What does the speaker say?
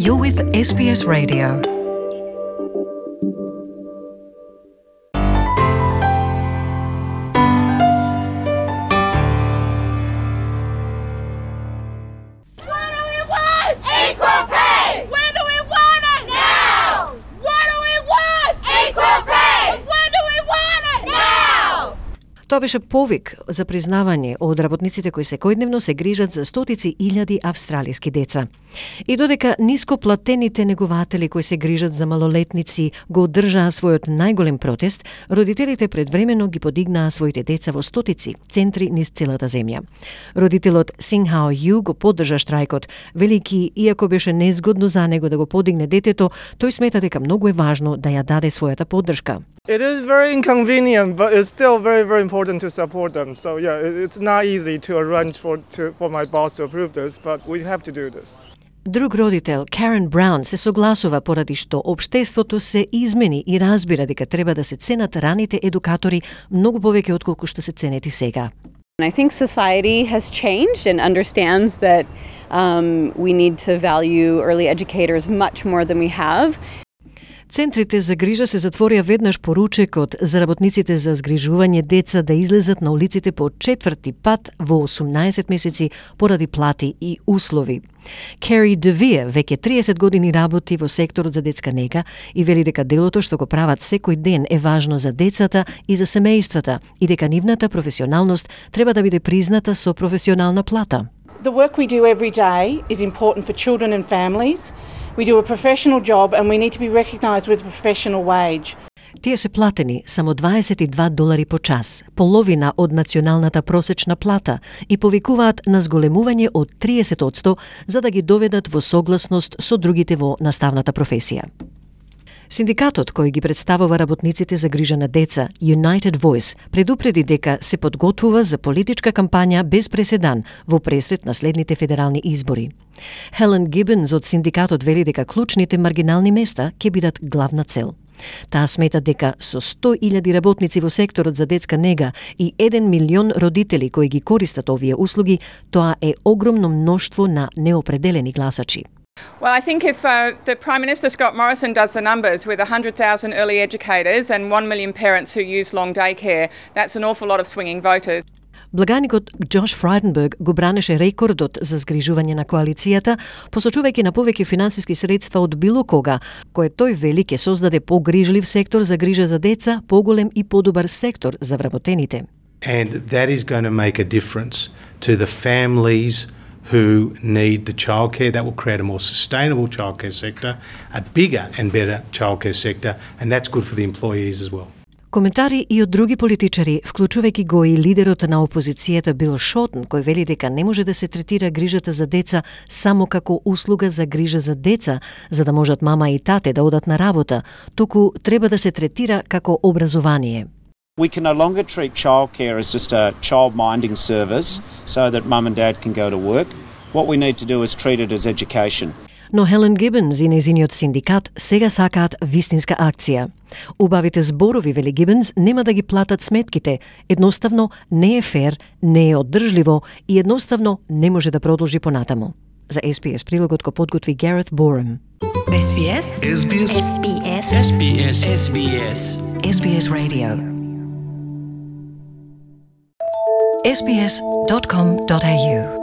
You're with SBS Radio. Тоа беше повик за признавање од работниците кои секојдневно се грижат за стотици илјади австралиски деца. И додека нископлатените негователи кои се грижат за малолетници го одржаа својот најголем протест, родителите предвремено ги подигнаа своите деца во стотици центри низ целата земја. Родителот Синхао Ю го поддржа штрајкот, велики иако беше незгодно за него да го подигне детето, тој смета дека многу е важно да ја даде својата поддршка. It is very inconvenient, but it's still very, very important to support them. So yeah, it's not easy to arrange for my boss to approve this, but we have to do this. Друг родител, Карен Браун, се согласува поради што општеството се измени и разбира дека треба да се ценат раните едукатори многу повеќе отколку што се ценети сега. I think society has changed and understands that we need to value early educators much more than we have. Центрите за грижа се затворија веднаш по ручекот за работниците за згрижување деца да излезат на улиците по четврти пат во 18 месеци поради плати и услови. Кери Девие веќе 30 години работи во секторот за детска нега и вели дека делото што го прават секој ден е важно за децата и за семејствата и дека нивната професионалност треба да биде призната со професионална плата. The work we do every day is important for children and families. We do a professional job and we need to be recognised with a professional wage. Тие се платени само $22 по час, половина од националната просечна плата и повикуваат на зголемување од 30% за да ги доведат во согласност со другите во наставната професија. Синдикатот кој ги представува работниците за грижа на деца, United Voice, предупреди дека се подготвува за политичка кампања без преседан во пресред на следните федерални избори. Хелен Гибенс од синдикатот вели дека клучните маргинални места ќе бидат главна цел. Таа смета дека со 100.000 работници во секторот за детска нега и 1 милион родители кои ги користат овие услуги, тоа е огромно мноштво на неопределени гласачи. Well, I think if the Prime Minister Scott Morrison does the numbers with 100,000 early educators and 1 million parents who use long daycare, that's an awful lot of swinging voters. Благаникот Джош Фрайденберг го бранеше рекордот за згрижување на коалицијата, посочувајќи на повеќе финансиски средства од било кога, кое тој вели ќе создаде погрижлив сектор за грижа за деца, поголем и подобар сектор за вработените. And that is going to make a difference to the families who need the childcare. That will create a more sustainable childcare sector, a bigger and better childcare sector, and that's good for the employees as well. Коментари и од други политичари, вклучувајќи го и лидерот на опозицијата Бил Шотен, кој вели дека не може да се третира грижата за деца само како услуга за грижа за деца, за да можат мама и тате да одат на работа, туку треба да се третира како образование. We can no longer treat childcare as just a child-minding service so that mum and dad can go to work. What we need to do is treat it as education. Но Хелен Гибенс и незиниот синдикат сега сакаат вистинска акција. Убавите зборови, вели Гибенс, нема да ги платат сметките. Едноставно не е фер, не е оддржливо и едноставно не може да продолжи понатаму. За SBS прилогот го подготви Гарет Борем. SBS SBS SBS SBS SBS SBS Radio SBS.com.au